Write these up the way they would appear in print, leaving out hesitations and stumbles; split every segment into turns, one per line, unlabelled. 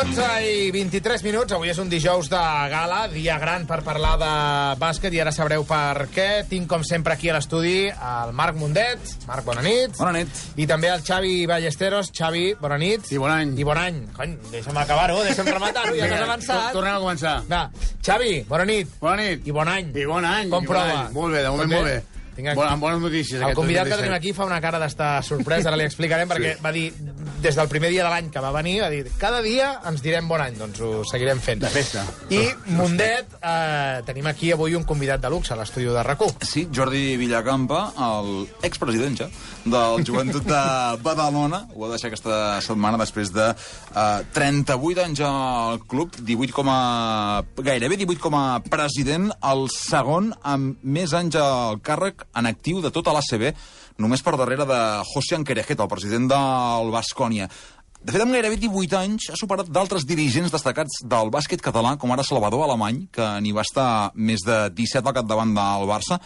12:23. Avui és un dijous de gala, dia gran per parlar de bàsquet, i ara sabreu per què. Tinc, com sempre, aquí a l'estudi el Marc Mundet. Marc, bona nit.
Bona nit.
I també el Xavi Ballesteros. Xavi, bona nit.
I bon any.
I bon any. Cony, deixa'm acabar-ho, deixa'm rematar-ho, ja t'has avançat.
Tornem a començar.
Va, Xavi, bona nit.
Bona nit.
I bon any.
I bon any.
Com prova?
Molt bé, de moment molt bé. Amb bones notícies.
El convidat que tenim aquí fa una cara d'estar sorprès, ara li explicarem, perquè va dir, des del primer dia de l'any que va venir, va dir, cada dia ens direm bon any, doncs ho seguirem fent.
De festa.
I Mundet, tenim aquí avui un convidat de luxe a l'estudi de RAC1.
Sí, Jordi Villacampa, el expresident ja del Joventut de Badalona, ho va deixar aquesta setmana després de 38 anys al club, gairebé 18 com a president, el segon amb més anys al càrrec en actiu de tota l'ACB, només per darrere de José Anquerejet, el president del Baskonia. De fet, amb gairebé 18 anys ha superat d'altres dirigents destacats del bàsquet català, com ara Salvador Alemany, que n'hi va estar més de 17 al capdavant del Barça.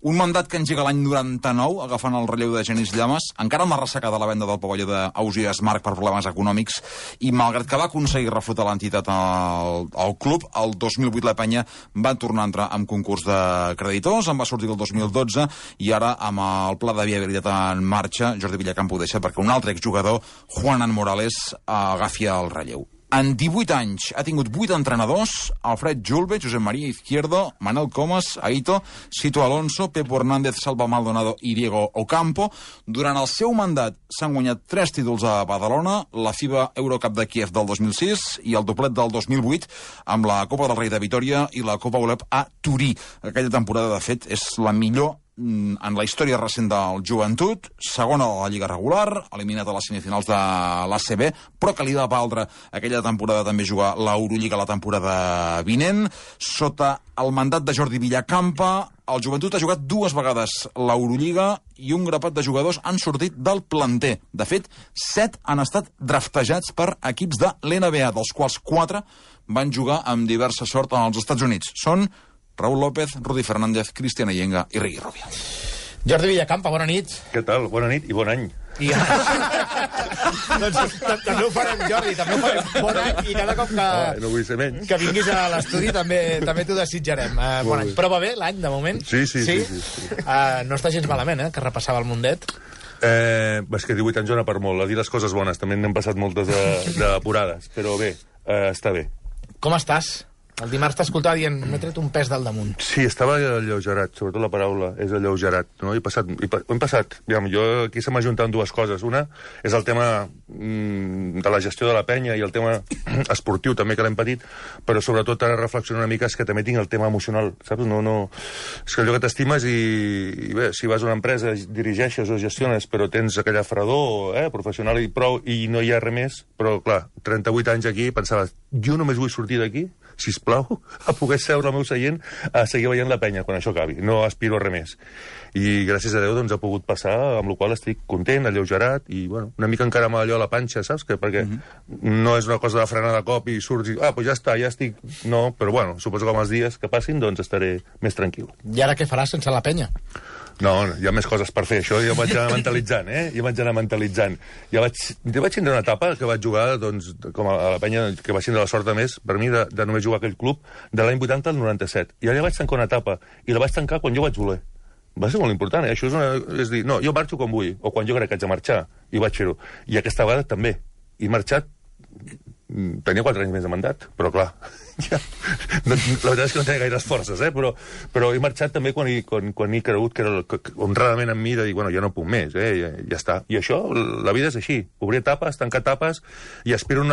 Un mandat que engega l'any 99, agafant el relleu de Genís Llamas, encara amb la ressaca de la venda del pavelló d'Ausiàs Marc per problemes econòmics, i malgrat que va aconseguir reflotar l'entitat al club, el 2008 la penya va tornar a entrar en concurs de creditors, en va sortir el 2012, i ara, amb el pla de viabilitat en marxa, Jordi Villacampa ho deixa perquè un altre exjugador, Juanan Morales, agafi el relleu. En 18 anys ha tingut 8 entrenadors: Alfred Julve, Josep María Izquierdo, Manel Comas, Aito, Sito Alonso, Pepo Hernández, Salva Maldonado i Diego Ocampo. Durant el seu mandat s'han guanyat 3 títols a Badalona, la FIBA Eurocup de Kiev del 2006 i el doblet del 2008 amb la Copa del Rei de Vitòria i la Copa Olep a Turí. Aquella temporada, de fet, és la millor en la història recent del Joventut, segona a la Lliga regular, eliminat a les semifinals de l'ACB, però que li va valdre aquella temporada també jugar l'Eurolliga la temporada vinent. Sota el mandat de Jordi Villacampa, el Joventut ha jugat 2 vegades l'Eurolliga i un grapat de jugadors han sortit del planter. De fet, 7 han estat draftejats per equips de l'NBA, dels quals 4 van jugar amb diversa sort als Estats Units. Són Raúl López, Rudy Fernández, Cristian Allenga i Riqui Rubio.
Jordi Villacampa, bona nit.
Què tal? Bona nit i bon any.
Doncs també ho farem, Jordi, també ho farem. Bon any, i cada cop
no vull ser menys.
que vinguis a l'estudi també t'ho desitjarem. Bon any. Però va bé l'any, de moment?
Sí.
No està gens malament, que repassava el Mundet.
És que 18 anys dona per molt. A dir les coses bones, també n'hem passat moltes d'apurades, però bé, està bé.
Com estàs? El dimarts t'escoltava dient, m'he tret un pes del damunt.
Sí, estava alleugerat, sobretot la paraula és alleugerat, no? Ho hem passat. Jo aquí se m'ha juntat 2 coses. Una és el tema de la gestió de la penya i el tema esportiu també, que l'hem patit, però sobretot ara reflexionar una mica és que també tinc el tema emocional, saps? És que allò que t'estimes i bé, si vas a una empresa, dirigeixes o gestiones, però tens aquella fredor professional i prou, i no hi ha res més, però clar, 38 anys aquí, pensava, jo només vull sortir d'aquí, sisplau, a poder seure al meu seient a seguir veient la penya quan això acabi. No aspiro a res més. I gràcies a Déu doncs ha pogut passar, amb la qual estic content, alleugerat, i bueno, una mica encara amb allò a la panxa, saps? Perquè no és una cosa de frenar de cop i surts i, pues ja està, ja estic... No, però bueno, suposo que amb els dies que passin doncs estaré més tranquil.
I ara què faràs sense la penya?
No, hi ha més coses per fer, això jo vaig anar mentalitzant, Jo vaig anar mentalitzant. Jo vaig tindre una etapa que vaig jugar, doncs, com a la penya, que vaig tindre la sort de més, per mi, de només jugar a aquell club, de l'any 80 al 97. I allà vaig tancar una etapa, i la vaig tancar quan jo vaig voler. Va ser molt important, Això és dir, no, jo marxo quan vull, o quan jo crec que haig de marxar, i vaig fer-ho. I aquesta vegada també. I marxat, tenia 4 anys més de mandat, però clar, ja, la veritat és que no tenia gaires forces, però he marxat també quan he cregut que era honradament amb mi de dir, bueno, ja no puc més, ja està. I això, la vida és així, obrir etapes, tancar etapes, i espero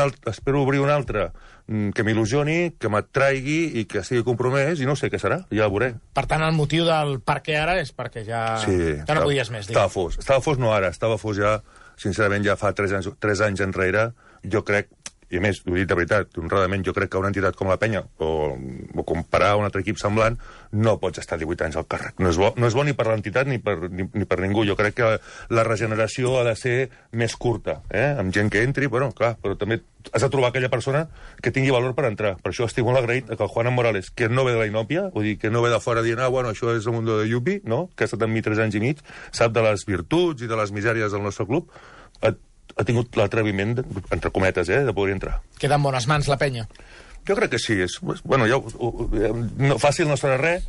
obrir una altra que m'il·lusioni, que m'atraigui i que estigui compromès, i no sé què serà, ja ho veuré.
Per tant, el motiu del per què ara és perquè ja no podies més.
Estava fos no ara, estava fos ja, sincerament, ja fa 3 anys enrere, jo crec, i a més, ho he dit de veritat, honradament, jo crec que una entitat com la penya, o comparar un altre equip semblant, no pots estar 18 anys al càrrec. No és bo ni per l'entitat ni per ningú. Jo crec que la regeneració ha de ser més curta, amb gent que entri, però clar, però també has de trobar aquella persona que tingui valor per entrar. Per això estic molt agraït que el Juanan Morales, que no ve de la inòpia, vull dir, que no ve de fora dient, bueno, això és el mundo de Yupi, no? Que ha estat amb mi 3 anys i mig, sap de les virtuts i de les misèries del nostre club, ha tingut l'atreviment, entre cometes, de poder entrar.
Queda en bones mans la penya.
Jo crec que sí. Bueno, fàcil no serà res.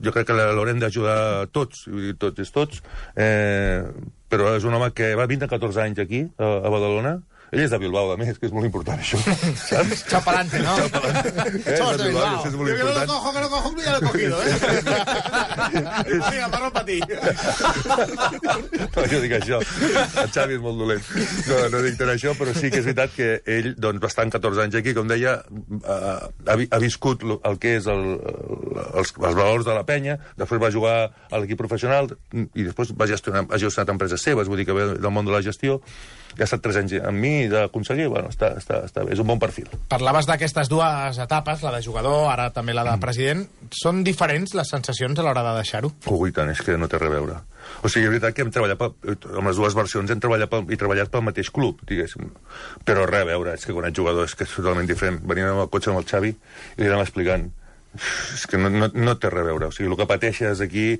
Jo crec que l'haurem d'ajudar tots, tots, però és un home que va vindre 14 anys aquí, a Badalona. Ell és de Bilbao, a més, que és molt important, això. Saps?
Chapalante, ¿no?
Somos de Bilbao. És molt important.
Que no cojo, ya lo he cogido, Vinga, parlo per ti.
No, jo dic això. El Xavi és molt dolent. No dic tant això, però sí que és veritat que ell doncs, va estar 14 anys aquí, com deia, ha viscut el que és els valors de la penya, després va jugar a l'equip professional i després ha gestionat empreses seves, vull dir que ve del món de la gestió, i ha estat 3 anys amb mi d'aconseguir, bueno, està bé, és un bon perfil.
Parlaves d'aquestes dues etapes, la de jugador, ara també la de president. Són diferents les sensacions a l'hora de deixar-ho?
I tant, és que no té res a veure. O sigui, és veritat que hem treballat amb les dues versions, hem treballat pel mateix club, diguéssim. Però res a veure, és que quan ets jugador és que és totalment diferent. Veníem amb el cotxe amb el Xavi i li anàvem explicant. És que no té res a veure. O sigui, el que pateixes aquí...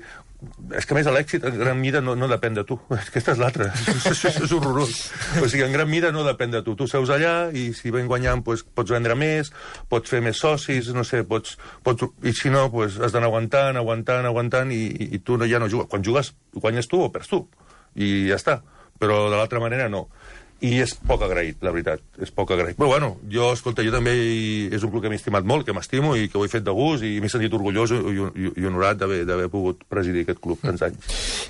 És que, a més, l'èxit en gran mida no depèn de tu. Aquesta és l'altra. És horrorós. O sigui, en gran mida no depèn de tu. Tu seus allà i si ven guanyant pots vendre més, pots fer més socis, no sé, i si no, has d'anar aguantant i tu ja no jugues. Quan jugues, guanyes tu o perds tu. I ja està. Però de l'altra manera no. I és poc agraït, la veritat, és poc agraït. Però bueno, jo també és un club que m'he estimat molt, que m'estimo i que ho he fet de gust i m'he sentit orgullós i honorat d'haver pogut presidir aquest club tants anys.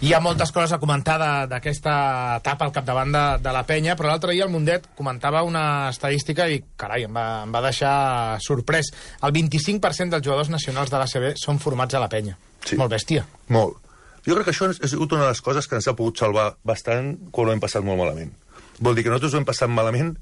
Hi ha moltes coses a comentar d'aquesta etapa al capdavant de la penya, però l'altre dia el Mundet comentava una estadística i, carai, em va deixar sorprès. El 25% dels jugadors nacionals de l'ACB són formats a la penya. Sí. Molt bèstia.
Molt. Jo crec que això ha sigut una de les coses que ens ha pogut salvar bastant quan ho hem passat molt malament. Vol dir que nosaltres ho hem passat malament,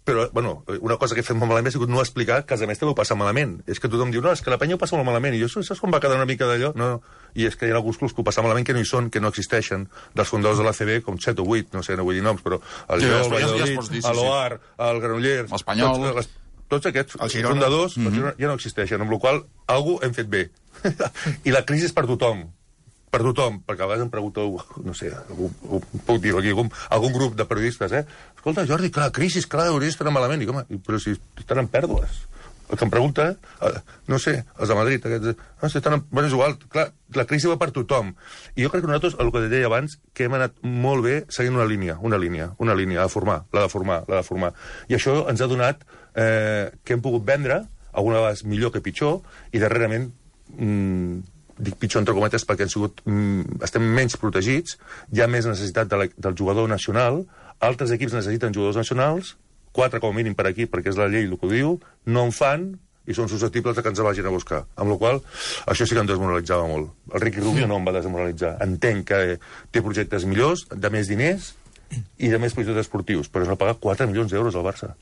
però, bueno, una cosa que he fet molt malament ha sigut no explicar que a més també ho passa malament. És que tothom diu, no, és que la penya ho passa molt malament. I jo, saps com va quedar una mica d'allò? No. I és que hi ha alguns clubs que ho passen malament que no hi són, que no existeixen, dels fundadors de l'ACB, com 7 o 8, no sé, no vull dir noms, però el Gil, el Valladolid, l'Oar, el Granollers...
L'Espanyol...
Tots aquests fundadors ja no existeixen, amb la qual cosa algú hem fet bé. I la crisi és per tothom. Per tothom, perquè a vegades em pregunta, no sé, puc dir-ho aquí, algun grup de periodistes, escolta, Jordi, clar, crisi, clar, hauries d'estar malament. I, home, però si estan en pèrdues. El que em pregunta, no sé, els de Madrid, bueno, és igual, clar, la crisi va per tothom. I jo crec que nosaltres, el que deia abans, que hem anat molt bé seguint una línia, a formar, la de formar. I això ens ha donat que hem pogut vendre, alguna vegada millor que pitjor, i darrerament... dic pitjor entre cometes perquè estem menys protegits, hi ha més necessitat del jugador nacional, altres equips necessiten jugadors nacionals, 4 com a mínim per aquí, perquè és la llei el que ho diu, no en fan i són susceptibles que ens vagin a buscar. Amb la qual això sí que em desmoralitzava molt. El Ricky Rubio no em va desmoralitzar. Entenc que té projectes millors, de més diners i de més projectes esportius, però es va pagar 4 milions d'euros al Barça.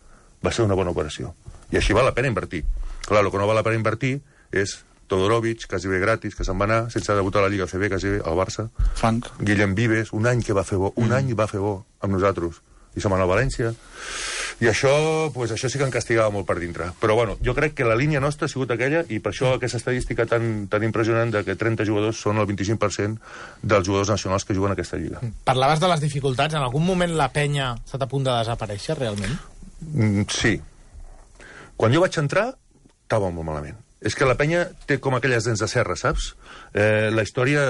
Va ser una bona operació. I així val la pena invertir. Clar, el que no val la pena invertir és Todorovic, quasi bé gratis, que se'n va anar, sense debutar a la Lliga CB, quasi bé al Barça.
Frank.
Guillem Vives, un any que va fer bo, any va fer bo amb nosaltres. I se'n va anar a València. I això sí que em castigava molt per dintre. Però bueno, jo crec que la línia nostra ha sigut aquella, i per això aquesta estadística tan impressionant de que 30 jugadors són el 25% dels jugadors nacionals que juguen a aquesta lliga.
Parlaves de les dificultats. En algun moment la penya s'ha a punt de desaparèixer, realment?
Sí. Quan jo vaig entrar, estava molt malament. És que la penya té com aquelles dents de serra, saps? La història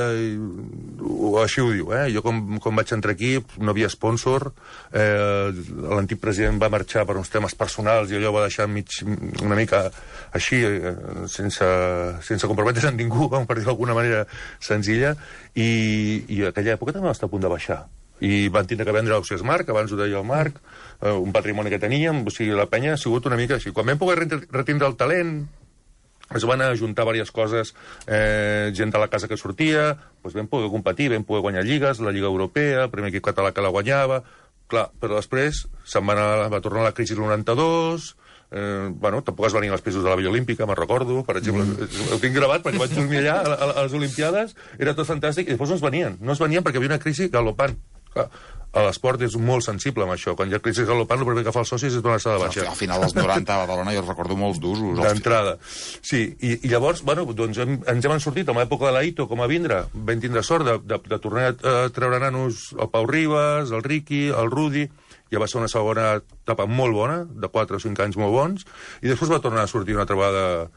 així ho diu, Jo quan vaig entrar aquí no havia sponsor, l'antic president va marxar per uns temes personals i allò va deixar una mica així, sense comprometre's amb ningú, per dir-ho d'alguna manera senzilla, i a aquella època també va estar a punt de baixar. I van tindre que vendre l'Ausias Marc, abans ho deia el Marc, un patrimoni que teníem, o sigui, la penya ha sigut una mica així. Quan vam poder retindre el talent, es van ajuntar diverses coses, gent de la casa que sortia, doncs vam poder competir, vam poder guanyar lligues, la Lliga Europea, el primer equip català que la guanyava, clar, però després va tornar la crisi del 92, tampoc es venien els pisos de la Villa Olímpica, me'n recordo, per exemple, ho tinc gravat perquè vaig dormir allà a les Olimpiades, era tot fantàstic, i després no es venien perquè hi havia una crisi galopant. Clar, l'esport és molt sensible amb això. Quan hi ha crisi galopant, el primer que fa els socis és donar-se de baixa.
Al final dels 90 a Badalona jo recordo molts d'usos.
D'entrada. Sí, i llavors, doncs ens hem sortit, en l'època de l'Aito, com a vindre, vam tindre sort de tornar a treure nanos el Pau Ribas, el Riqui, el Rudi, ja va ser una segona etapa molt bona, de 4 o 5 anys molt bons, i després va tornar a sortir una altra vegada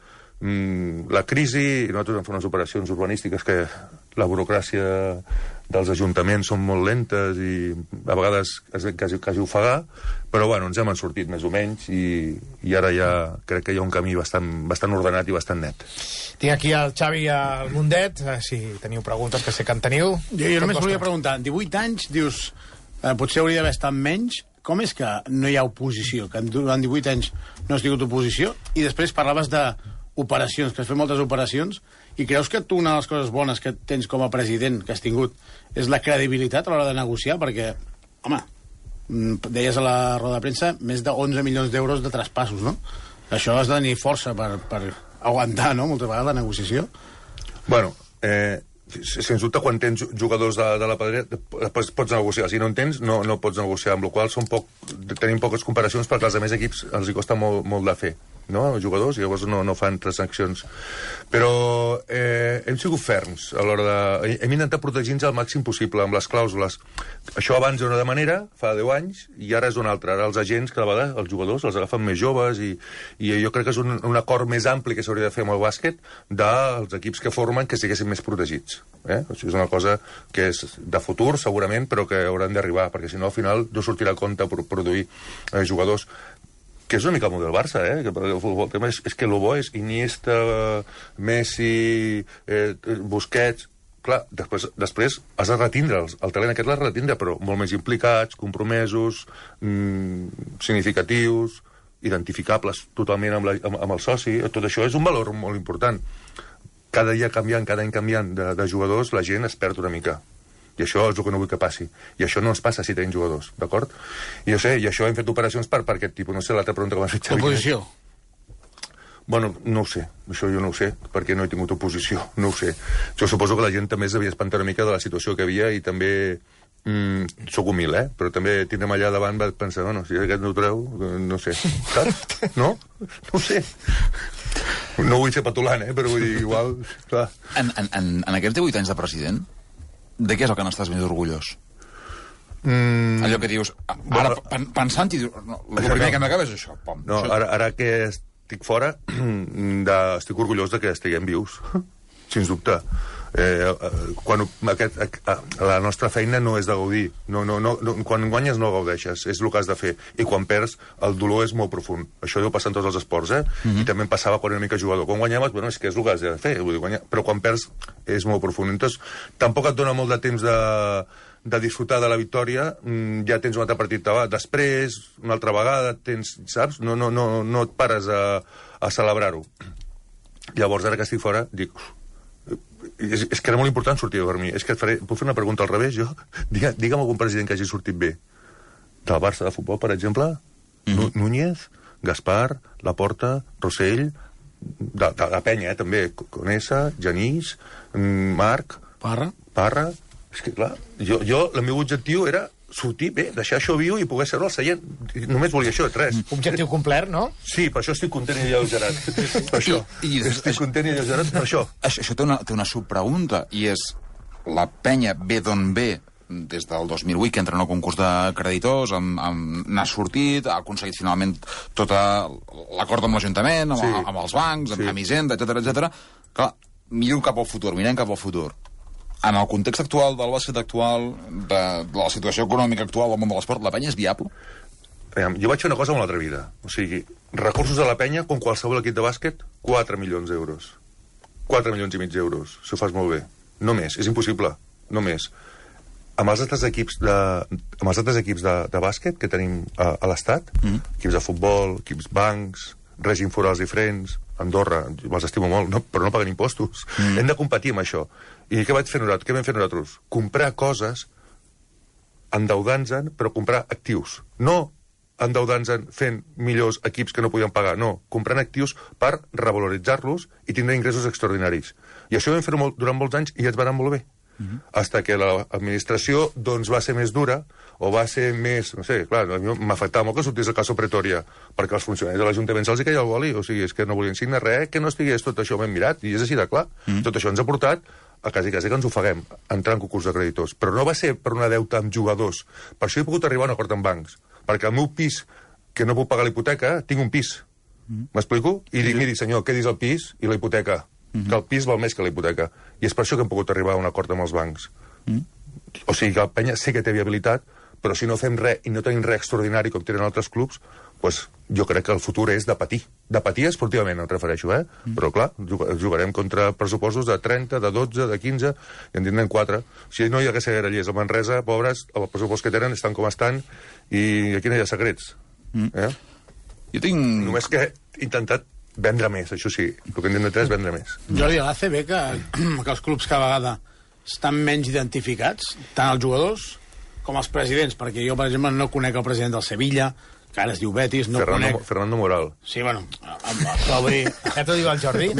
la crisi, i nosaltres vam fer unes operacions urbanístiques que la burocràcia dels ajuntaments són molt lentes i a vegades quasi ofegar, però bueno, ens hem sortit més o menys i ara ja crec que hi ha un camí bastant ordenat i bastant net.
Tinc aquí el Xavi i el Mundet, si teniu preguntes, que sé que en teniu.
Jo només volia preguntar, 18 anys, dius, potser hauria d'haver estat menys, com és que no hi ha oposició, que durant 18 anys no has tingut oposició, i després parlaves d'operacions, que has fet moltes operacions, i creus que tu una de les coses bones que tens com a president, que has tingut, és la credibilitat a l'hora de negociar? Perquè, home, deies a la roda de premsa, més de 11 milions d'euros de traspassos, no? Això has de tenir força per aguantar, no?, moltes vegades la negociació.
Bueno, sens dubte, quan tens jugadors de la pedrera, pots negociar. Si no en tens, no pots negociar, amb la qual cosa tenim poques comparacions perquè als altres equips els hi costa molt de fer, no?, els jugadors, i llavors no fan transaccions. Però hem sigut ferms a l'hora de... Hem intentat protegir-nos al màxim possible amb les clàusules. Això abans era de manera, fa 10 anys, i ara és una altra. Ara els agents, cada vegada, els jugadors, els agafen més joves, i jo crec que és un acord més ampli que s'hauria de fer amb el bàsquet dels equips que formen que siguessin més protegits. Això és una cosa que és de futur, segurament, però que hauran d'arribar, perquè si no, al final, no sortirà a compte per produir jugadors, que és una mica el model Barça, que el futbol tema és que el bo és Iniesta, Messi, Busquets. Clar, després has de retindre'ls. El talent aquest l'has de retindre, però molt més implicats, compromesos, significatius, identificables totalment amb el soci. Tot això és un valor molt important. Cada dia canviant, cada any canviant de jugadors, la gent es perd una mica. I això és el que no vull que passi. I això no ens passa si tenim jugadors, d'acord? I jo sé, i això hem fet operacions per aquest tipus. No sé, l'altra pregunta que m'has fet, Xavi.
Oposició?
Bueno, no ho sé. Això jo no ho sé, perquè no he tingut oposició. No ho sé. Jo suposo que la gent també s'havia espantat una mica de la situació que havia i també... soc humil, però també tindrem allà davant va pensar, bueno, si aquest no ho treu, no sé, saps? No? No ho sé. No vull ser petulant, però vull dir, igual, clar.
En aquests 18 anys de president, de què és el que n'estàs més orgullós? Allò que dius, ara pensant-hi, el primer que m'acaba és això.
No, ara que estic fora, estic orgullós de que estiguem vius, sens dubte. La nostra feina no és de gaudir. Quan guanyes no gaudeixes, és el que has de fer. I quan perds, el dolor és molt profund. Això deu passar en tots els esports, I també em passava quan era una mica jugador. Quan guanyaves, bueno, és que és el que has de fer. Però quan perds, és molt profund. Entonces, tampoc et dona molt de temps de disfrutar de la victòria. Ja tens un altre partit després, una altra vegada, saps? No et pares a celebrar-ho. Llavors, ara que estic fora, dic... És que era molt important sortir a dormir. És que puc fer una pregunta al revés, jo? Digue'm algun president que hagi sortit bé. Del Barça de futbol, per exemple? Núñez, Gaspar, Laporta, Rossell, de la penya, també. Conesa, Genís, Marc... Parra. És que, clar, el meu objectiu era sortir bé, deixar això viu i poder seure al seient. Només volia això, res.
Objectiu complert, no?
Sí, per això estic content i alleugerat. Per això. Estic content i alleugerat per això.
Això té una subpregunta, i és la penya ve d'on ve des del 2008, que entra en el concurs de creditors, n'ha sortit, ha aconseguit finalment tot l'acord amb l'Ajuntament, amb els bancs, amb Hisenda, etcètera. Clar, mirem cap al futur. En el context actual del bàsquet actual, de la situació econòmica actual del món de l'esport, la penya és viable?
Jo vaig fer una cosa molt atrevida. O sigui, recursos de la penya, com qualsevol equip de bàsquet, 4 milions d'euros. 4 milions i mig d'euros, si ho fas molt bé. No més, és impossible, no més. Amb els altres equips de bàsquet que tenim a l'Estat, equips de futbol, equips bancs, règim forals diferents, Andorra, els estimo molt, però no paguen impostos. Hem de competir amb això. I què vam fer nosaltres? Comprar coses endeudant-nos, però comprar actius. No endeudant-nos fent millors equips que no podien pagar, no. Comprant actius per revaloritzar-los i tindre ingressos extraordinaris. I això ho vam fer durant molts anys i ens va anar molt bé. Hasta que l'administració va ser més dura o va ser més... No sé, clar, a mi m'afectava molt que sortís el caso Pretoria, perquè els funcionaris de l'Ajuntament se'ls queia el boli, o sigui, és que no volien signar res, que no estigués tot això ben mirat, i és així de clar. Tot això ens ha portat a quasi que ens ofeguem, entrar en concurs de creditors. Però no va ser per una deuta amb jugadors. Per això he pogut arribar a un acord amb bancs, Perquè el meu pis, que no puc pagar la hipoteca, tinc un pis. M'explico? I dic, miri, senyor, què dius el pis i la hipoteca? Que el pis val més que la hipoteca. I és per això que hem pogut arribar a un acord amb els bancs. O sigui, que el penya sé que té viabilitat, però si no fem res i no tenim res extraordinari com tenen altres clubs, doncs jo crec que el futur és de patir. De patir esportivament, em refereixo, Però, clar, jugarem contra pressupostos de 30, de 12, de 15, i en tindrem 4. Si no hi hagués Grallers a Manresa, pobres, el pressupost que tenen estan com estan, i aquí no hi ha secrets.
Jo tinc...
Només que he intentat vendre més, això sí. El que hem d'intentar és vendre més.
Jordi, a l'ACB, que els clubs cada vegada estan menys identificats, tant els jugadors com els presidents, perquè jo, per exemple, no conec el president del Sevilla, que ara es diu Betis, no conec...
Fernando Moral.
Sí, bueno, però vull dir...
Ja t'ho diu el Jordi.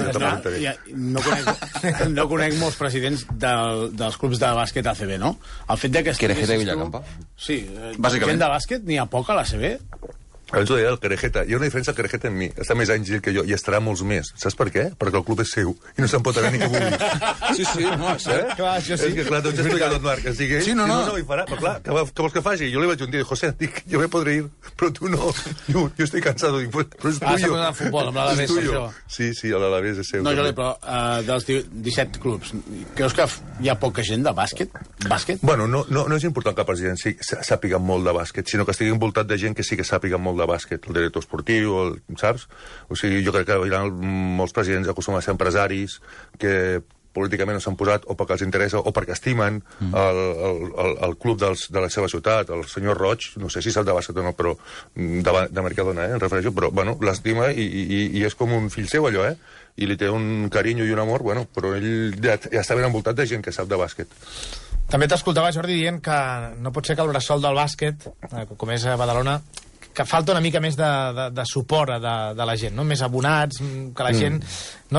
No conec molts presidents dels clubs de bàsquet ACB, no? El fet que...
Querejeta i Villacampa.
Sí,
bàsicament.
Gent de bàsquet n'hi ha poc a l'ACB.
Abans ho deia el Querejeta. Hi ha una diferència al Querejeta en mi. Està més anys que jo i estarà molts més. Saps per què? Perquè el club és seu i no se'n pot anar ni que vulgui.
Sí, no, és cert.
Clar, això sí.
És que, clar, t'ho he explicat tot, Marc. Sí, no, hi farà. Però, clar, què vols que faci? Jo li vaig un dia dir, José, dic, jo me podré ir, però tu no. Jo estic cansado. Dic, però és tuyo.
S'ha posat al futbol, amb l'Alavés, això.
Sí, l'Alavés és seu.
No, Jordi, però dels 17 clubs, creus que hi ha poca gent de bàsquet?
Bueno, no és important que el president sàpiga molt de bàsquet, sinó que estigui envoltat de gent que sí que sàpiga molt de bàsquet. El director esportiu, saps? O sigui, jo crec que hi ha molts presidents acostumen a ser empresaris que políticament no s'han posat o perquè els interessa o perquè estimen el club de la seva ciutat. El senyor Roig, no sé si sap de bàsquet o no, però de Mercadona, em refereixo, però, bueno, l'estima i és com un fill seu, allò, i li té un carinyo i un amor, bueno, però ell ja està ben envoltat de gent que sap de bàsquet.
També t'escoltava, Jordi, dient que no pot ser que el bressol del bàsquet, com és a Badalona, que falta una mica més de suport de la gent, no? Més abonats, que la gent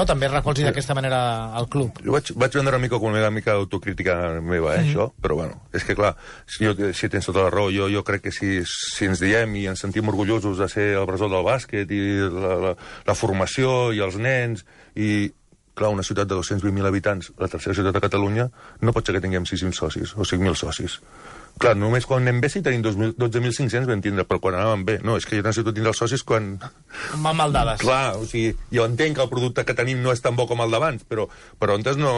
també recolzi d'aquesta manera al club.
Jo vaig vendre una mica com una mica d'autocrítica meva, això, però bueno, és que clar, si tens tota la raó, jo crec que si ens diem i ens sentim orgullosos de ser el bressol del bàsquet i la formació i els nens i clar, una ciutat de 220.000 habitants, la tercera ciutat de Catalunya, no pot ser que tinguem 6.000 socis o 5.000 socis. Clar, només quan anem bé sí tenim 12.500 vam tindre, però quan anàvem bé. No, és que jo necessito tindre els socis quan...
Amb mal dades.
Clar, o sigui, jo entenc que el producte que tenim no és tan bo com el d'abans, però antes no...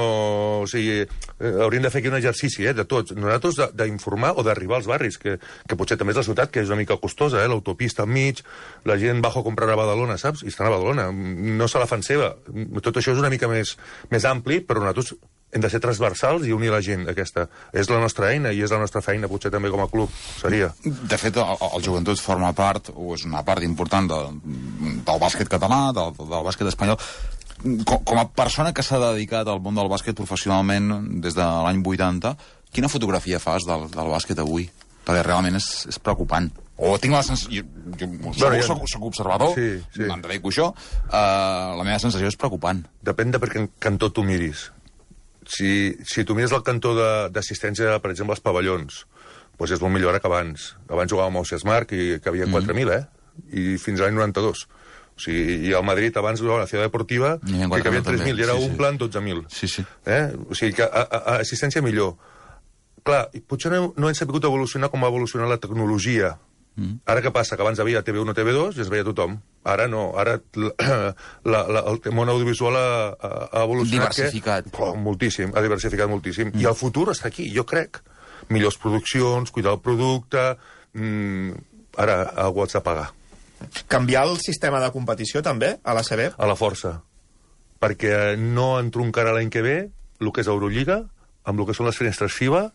O sigui, hauríem de fer aquí un exercici, de tots. Nosaltres d'informar o d'arribar als barris, que potser també és la ciutat, que és una mica costosa, l'autopista enmig, la gent bajo a comprar a Badalona, saps? I estan a Badalona. No se la fan seva. Tot això és una mica més ampli, però nosaltres hem de ser transversals i unir la gent, aquesta. És la nostra eina i és la nostra feina, potser també com a club, seria.
De fet, el Joventut forma part, o és una part important del bàsquet català, del bàsquet espanyol. Com a persona que s'ha dedicat al món del bàsquet professionalment des de l'any 80, quina fotografia fas del bàsquet avui? Perquè realment és preocupant. O tinc la sensació... Jo soc observador, me'n dedico a això, la meva sensació és preocupant.
Depèn de per quin cantó tu miris. Si tu mires el cantó d'assistència, per exemple, als pavellons, doncs és molt millor ara que abans. Abans jugàvem al Sesmarc i que havia 4.000, I fins a l'any 92. O sigui, i al Madrid abans jugava a la Ciutat Deportiva que havia 3.000 i ara un plan 12.000.
Sí.
O sigui que assistència millor. Clar, potser no hem sabut evolucionar com ha evolucionat la tecnologia. Ara què passa? Que abans havia TV1 o TV2 i es veia tothom. Ara no. Ara el món audiovisual ha evolucionat.
Diversificat.
Moltíssim. Ha diversificat moltíssim. I el futur està aquí, jo crec. Millors produccions, cuidar el producte... Ara algú has de pagar.
Canviar el sistema de competició, també, a l'ACB?
A la força. Perquè no entroncarà l'any que ve el que és Eurolliga amb el que són les finestres FIBA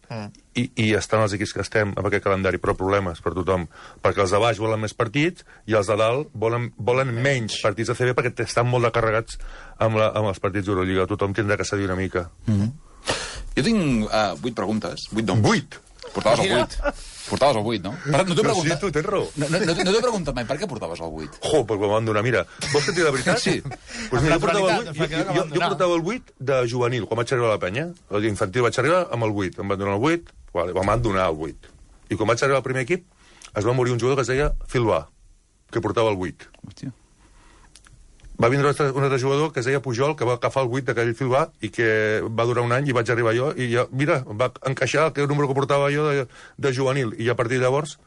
i estan els equips que estem amb aquest calendari, però problemes per tothom, perquè els de baix volen més partits i els de dalt volen menys partits de CB perquè estan molt carregats amb els partits d'Eurolliga. Tothom tindrà que cedir una mica.
Jo tinc 8 preguntes. 8 no.
8?
Portaves el 8. Portaves el 8, no? No t'he preguntat...
Sí, tu tens raó.
No t'he preguntat mai per què portaves el 8.
Perquè me'n van donar. Mira, vols que et digui la veritat?
Sí.
Pues mira, jo portava el 8 de juvenil, quan vaig arribar a la penya. D'infantil vaig arribar amb el 8. Em van donar el 8, em van donar el 8. I quan vaig arribar al primer equip, es va morir un jugador que es deia Filbà, que portava el 8.
Hòstia.
Va vindre un altre jugador que es deia Pujol, que va agafar el 8 d'aquell Filbà i que va durar un any i vaig arribar jo i ja, mira, va encaixar el número que portava jo de juvenil. I a partir de llavors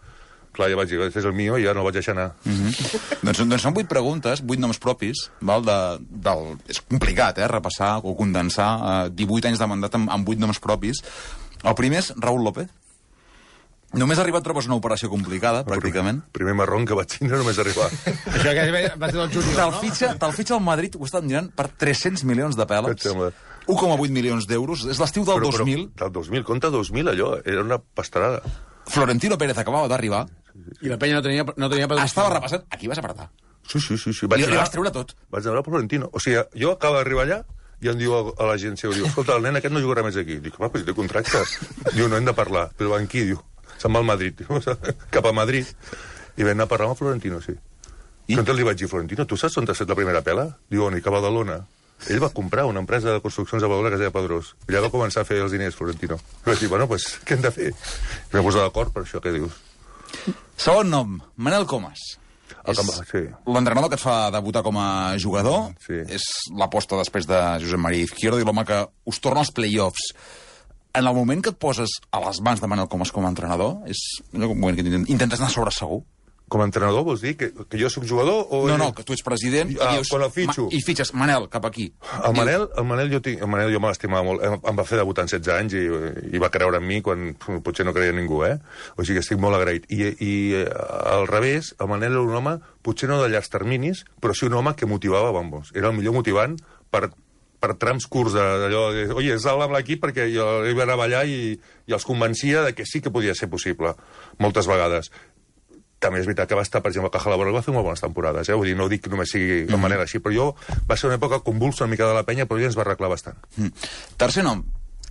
clar, ja vaig dir, és el mío, i ja no el vaig deixar anar.
Doncs són 8 preguntes, 8 noms propis, val? És complicat, repassar o condensar 18 anys de mandat amb 8 noms propis. El primer és Raúl López. Només ha arribat, trobes una operació complicada, pràcticament.
Primer marrón que vaig tindre només arribar.
Això que va ser del júnior, no?
Te'l fitxa al Madrid, ho estan mirant, per 300 milions de pèls. 1,8 milions d'euros. És l'estiu del 2000.
Del 2000, compte 2000, allò. Era una pastarada.
Florentino Pérez acabava d'arribar.
I la penya no tenia
Estava repassant. Aquí vas apretar.
Sí.
Li vas treure tot.
Vaig anar a Florentino. O sigui, jo acabo d'arribar allà i em diu a l'agència, diu, escolta, el nen aquest no jugarà més aquí. Dic, home, però si té contracte. Diu, no hem de parlar. Però van qui, diu? Se'n va al Madrid. Cap a Madrid. I vam anar a parlar amb Florentino, sí. I entonces li vaig dir, Florentino, tu saps on t'ha fet la primera pela? Diu, on? I que a Badalona. Ell va comprar una empresa de construccions a Badalona que es deia Pedrós. I allà va començar a fer els diners, Florentino. I vaig dir, bueno, pues, què hem de fer? I vam posar d'acord per això, què dius?
Segon nom, Manel Comas.
Sí.
L'entrenador que et fa debutar com a jugador,
sí.
És l'aposta després de Josep María Izquierdo i l'home que us torna als play-offs. En el moment que et poses a les mans de Manel Comas com a entrenador, és un moment que intentes anar sobre segur.
Com a entrenador vols dir que jo sóc jugador? O
No, que tu ets president i dius...
Quan el fitxo.
I fitxes, Manel, cap aquí.
El Manel jo me l'estimava molt. Em va fer debutar en 16 anys i va creure en mi quan potser no creia ningú, O sigui que estic molt agraït. I al revés, el Manel era un home, potser no de llargs terminis, però sí un home que motivava bombos. Era el millor motivant per trams curts d'allò de, oye, sal amb l'equip perquè jo va anar a ballar i els convencia de que sí que podia ser possible, moltes vegades. També és veritat que va estar, per exemple, a Caja Laboral va fer molt bones temporades, Vull dir, no dic que només sigui de manera així, però jo va ser una època convulsa una mica de la penya, però ell ens va arreglar bastant.
Tercer nom,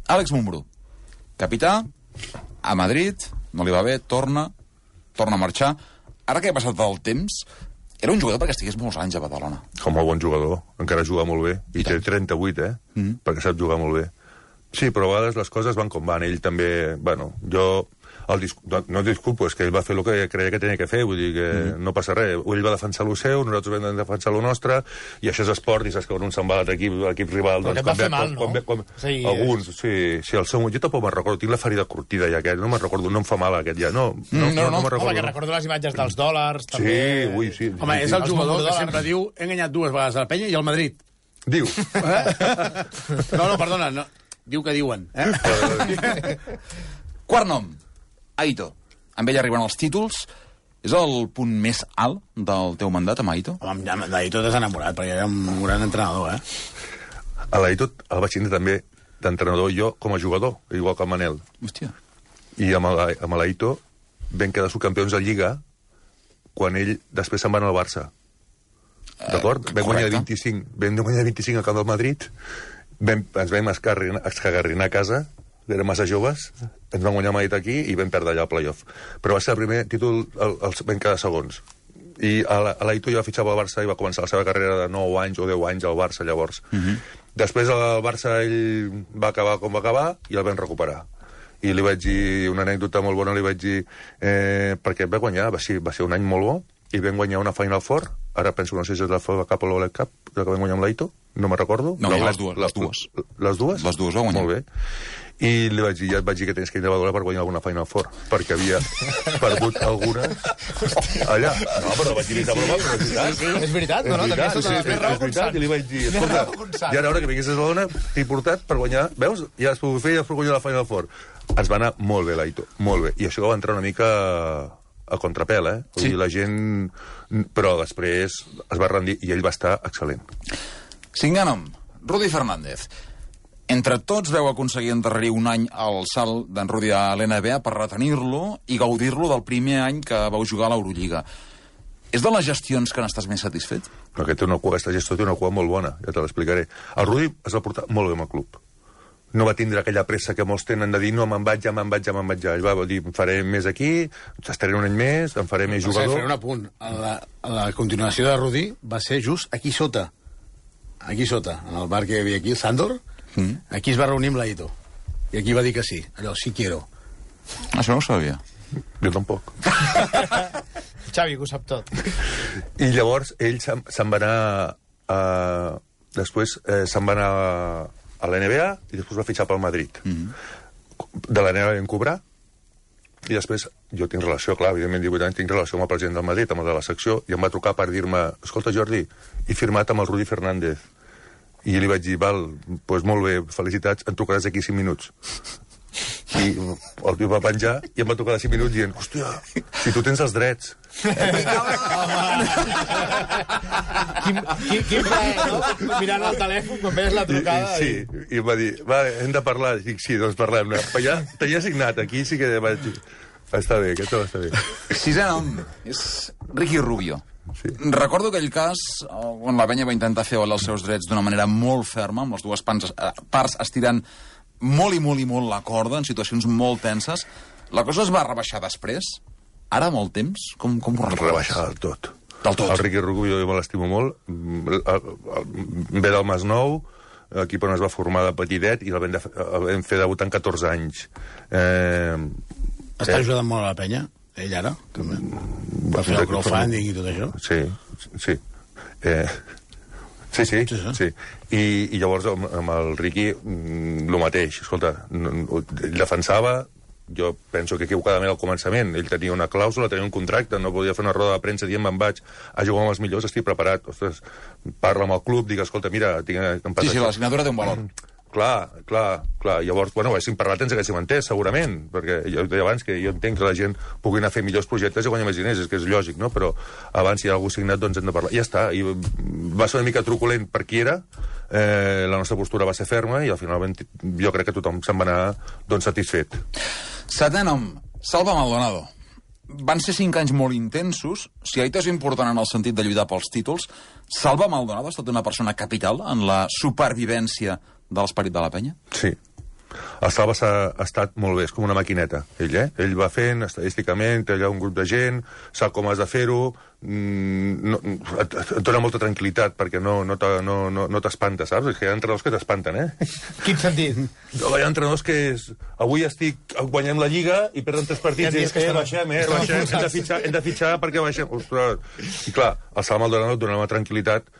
Àlex Mumbrú. Capità, a Madrid, no li va bé, torna a marxar. Ara que ha passat el temps, era un jugador perquè estigués molts anys a Badalona.
Com a bon jugador, encara juga molt bé, i té 38, perquè sap jugar molt bé. Sí, però a vegades les coses van com van. Ell també, bueno, jo... No disculpo, és que ell va fer el que creia que tenia que fer, vull dir que no passa res. Ell va defensar lo seu, nosaltres vam defensar lo nostre, i això és esport, i saps que quan un se'n va a l'equip rival...
Però aquest va fer mal, no?
Alguns, sí, el seu... Jo tampoc me'n recordo, tinc la ferida curtida ja, aquest, no me'n recordo, no em fa mal aquest ja, no me'n recordo.
Home, que recordo les imatges dels dòlars, també...
Sí.
Home, és el jugador que sempre diu, he enganyat 2 vegades a la penya i al Madrid.
Diu.
No, perdona, no. Diu que diuen.
Quart nom, Aito. Amb ell arriben els títols. És el punt més alt del teu mandat, amb Aito?
Home, d'Aito t'has enamorat, perquè era un gran entrenador,
A l'Aito el vaig tindre també d'entrenador jo com a jugador, igual que el Manel.
Hòstia.
I amb l'Aito vam quedar subcampions de Lliga quan ell després se'n va anar al Barça. D'acord? Vam guanyar 25 al camp del Madrid, ens vam escagarrinar a casa, érem massa joves, ens van guanyar Madrid aquí i vam perdre allà el playoff. Però va ser el primer títol, els vam quedar segons. I l'Aito ja va fitxar pel Barça i va començar la seva carrera de 9 anys o 10 anys al Barça, llavors. Després el Barça ell va acabar com va acabar i el vam recuperar. I li vaig dir una anècdota molt bona, li vaig dir perquè va guanyar, va ser un any molt bo, i vam guanyar una Final Four, ara penso que no sé si és la FA Cup o l'Ole Cup, la que vam guanyar amb l'Aito, no me'n recordo.
No, les dues.
Les dues?
Les dues va guanyar.
Molt bé. I li vaig dir, ja et vaig dir que tens que ir a Badalona per guanyar alguna Final Four, perquè havia perdut algunes allà. No, però vaig dir, broma, però és veritat.
Sí, és veritat, no? També és
veritat, i li vaig dir, escolta, ja era hora que vinguessis a Badalona, t'he portat per guanyar, veus? Ja has pogut fer, ja has pogut guanyar la Final Four. Ens va anar molt bé, l'Aito, molt bé. I això va entrar una mica a contrapèl, Vull dir, la gent... Però després es va rendir i ell va estar excel·lent.
Cinquè nom, Rudi Fernández. Entre tots veu aconseguir endarrerir un any el salt d'en Rudi a l'NBA per retenir-lo i gaudir-lo del primer any que vau jugar a l'Eurolliga. És de les gestions que n'estàs més satisfet?
Aquesta gestió té una cua molt bona, ja te l'explicaré. El Rudi es va portar molt bé amb el club. No va tindre aquella pressa que molts tenen de dir no, me'n vaig ja. Ell va dir, em faré més aquí, estaré un any més, em faré més jugador.
Faré un apunt. La continuació de Rudi va ser just aquí sota, en el bar que hi havia aquí, el Sandor. Aquí es va reunir amb l'Aito. I aquí va dir que sí. Allò, sí quiero.
Això no ho sabia.
Jo tampoc.
Xavi, que ho sap tot.
I llavors ell se'n va anar... Després se'n va anar a la NBA i després va fitxar pel Madrid. De la NBA vam cobrar I després, jo tinc relació, clar, evidentment 18 anys, tinc relació amb el president del Madrid, amb el de la secció, i em va trucar per dir-me, escolta, Jordi, he firmat amb el Rudi Fernández. I li vaig dir, val, doncs molt bé, felicitats, em trucaràs d'aquí 5 minuts. I el tio va penjar i em va trucar de 5 minuts dient, hòstia, si tu tens els drets.
Quin plaer, no? Mirant el telèfon quan veies la trucada.
Sí, i em va dir, va, hem de parlar. Dic, sí, doncs parlem. Ja t'havia signat, aquí sí que vaig dir, està bé, aquest està bé.
Sisè nom és Ricky Rubio.
Sí.
Recordo aquell cas on la penya va intentar fer valer els seus drets d'una manera molt ferma, amb les dues parts estirant molt i molt i molt la corda, en situacions molt tenses. La cosa es va rebaixar després? Ara, molt temps? Com ho recordes?
Rebaixar del tot.
Del tot?
El Ricky Rubio jo me l'estimo molt. Ve del Masnou, equip on es va formar de petitet, i el vam fer debutar en 14 anys.
Està ajudant molt a la penya, ell ara, també. Va fer el crowdfunding i tot això.
Sí. Sí. I llavors amb el Ricky el mateix. Escolta, ell defensava, jo penso que equivocadament al començament, ell tenia una clàusula, tenia un contracte, no podia fer una roda de premsa dient me'n vaig a jugar amb els millors, estic preparat. Ostres, parla amb el club, digue, escolta, mira...
Sí, la signatura té un valor.
Clar. Llavors, bueno, haguéssim parlat, ens haguéssim entès, segurament, perquè jo deia abans que jo entenc que la gent pugui anar a fer millors projectes i guanyar més diners, és que és lògic, no? Però abans, si hi ha algú signat, doncs hem de parlar. I ja està. I va ser una mica truculent per qui era, la nostra postura va ser ferma i al final jo crec que tothom se'n va anar doncs, satisfet.
Setè nom, Salva Maldonado. Van ser 5 anys molt intensos. Si Aita és important en el sentit de lluitar pels títols, Salva Maldonado ha estat una persona capital en la supervivència de l'esperit de la penya?
Sí. El Salva ha estat molt bé, és com una maquineta, ell, eh? Ell va fent, estadísticament, té allà un grup de gent, sap com has de fer-ho, et dona molta tranquil·litat, perquè no t'espanta, saps? És que hi ha entrenadors que t'espanten, eh?
Quin sentit?
Hi ha entrenadors que avui guanyem la Lliga i perden 3 partits i baixem, hem de fitxar perquè baixem. Ostres. I clar, el Salva Maldonado et donava tranquil·litat.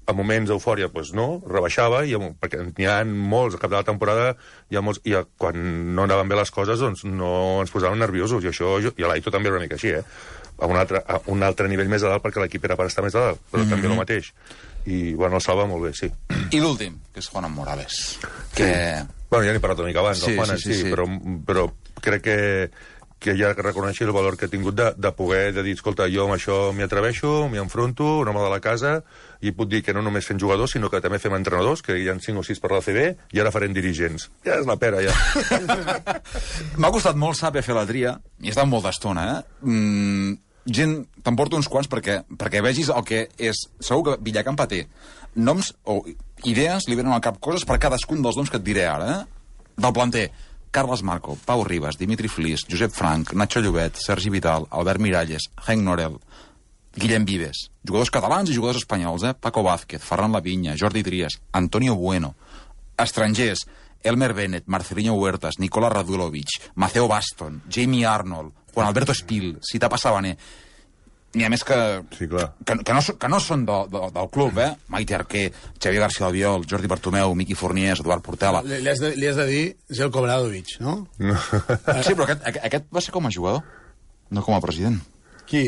A moments d'eufòria, doncs no, rebaixava, perquè n'hi ha molts, al cap de la temporada, i quan no anaven bé les coses, doncs no ens posàvem nerviosos, i això, i l'Aito també era una mica així, a un altre nivell més a dalt, perquè l'equip era per estar més a dalt, però també el mateix. I, bueno, el Salva molt bé, sí.
I l'últim, que és Juan Morales.
Bueno, ja n'he parlat una mica abans, del Juan, sí, però crec que ja reconeixi el valor que ha tingut de poder dir, escolta, jo amb això m'hi atreveixo, m'hi enfronto, un home de la casa, i puc dir que no només fem jugadors, sinó que també fem entrenadors, que hi ha 5 o 6 per la CB, i ara farem dirigents. Ja és la pera, ja.
M'ha costat molt saber fer la tria, i he estat molta estona, gent, te'n porto uns quants perquè vegis el que és. Segur que Villacampa té noms o idees, li venen al cap coses per cadascun dels noms que et diré ara, del planter. Carles Marco, Pau Ribas, Dimitri Flis, Josep Frank, Nacho Llobet, Sergi Vidal, Albert Miralles, Henk Norel, Guillem Vives, jugadors catalans i jugadors espanyols, Paco Vázquez, Ferran Lavinya, Jordi Trias, Antonio Bueno, estrangers, Elmer Bennett, Marcelinho Huertas, Nicola Radulovic, Maceo Baston, Jamie Arnold, Juan Alberto Espil, Sita Passabaner. N'hi ha més que no són del club, Maite Arquer, Xavier García Albiol, Jordi Bartomeu, Miqui Forniers, Eduard Portela.
Li has de dir Zelko Obradovic, no?
Sí, però aquest va ser com a jugador, no com a president.
Qui?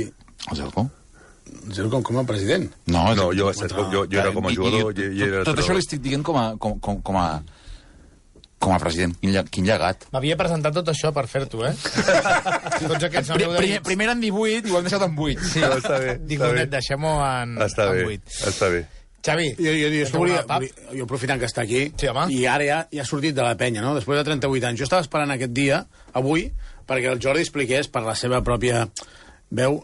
El Zelko.
Zelko com a president?
No,
jo era com a jugador.
Tot això li estic dient com a president. Quin llegat.
M'havia presentat tot això per fer-t'ho, Tots aquests
primer en 18 i ho hem deixat en 8.
Sí, està bé. Dic, deixem-ho en 8.
Està bé.
Xavi,
jo aprofitant que està aquí, i ara ja ha sortit de la penya, no? Després de 38 anys. Jo estava esperant aquest dia, avui, perquè el Jordi expliqués per la seva pròpia veu.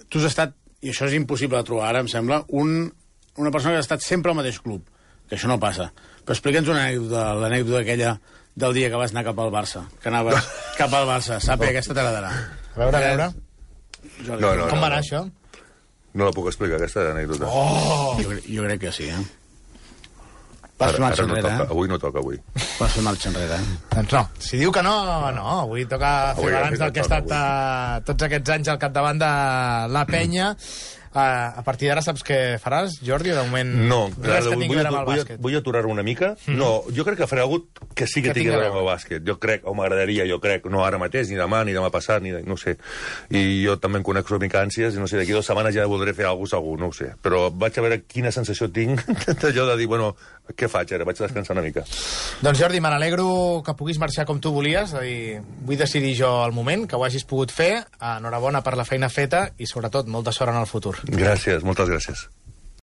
Tu has estat, i això és impossible de trobar ara, em sembla, una persona que ha estat sempre al mateix club, que això no passa. Però explica'ns una anècdota, l'anècdota aquella del dia que vas anar cap al Barça, que anaves cap al Barça. Sap que aquesta te la darà.
A veure. Com va anar això?
No la puc explicar, aquesta anècdota.
Jo crec que sí, Vas fer marxa enrere,
Avui no toca, avui.
Vas fer marxa enrere,
Doncs no. Si diu que no, avui toca fer balanç del que ha estat tots aquests anys al capdavant de la penya. A partir d'ara saps què faràs, Jordi? De moment,
No,
res que tingui a veure amb el bàsquet.
vull aturar-ho una mica. No, jo crec que faré algú que sí que tingui a veure amb el bàsquet. Jo crec, o m'agradaria, no ara mateix, ni demà passat, no ho sé. I jo també em conec una mica ànsies, i no sé, d'aquí 2 setmanes ja voldré fer alguna cosa segur, no ho sé. Però vaig a veure quina sensació tinc d'allò de dir, bueno, què faig ara? Vaig a descansar una mica.
Doncs Jordi, me n'alegro que puguis marxar com tu volies, és a dir, vull decidir jo el moment, que ho hagis pogut fer. Enhorabona per la feina feta i, sobretot, molta sort en el futur.
Gràcies, moltes gràcies.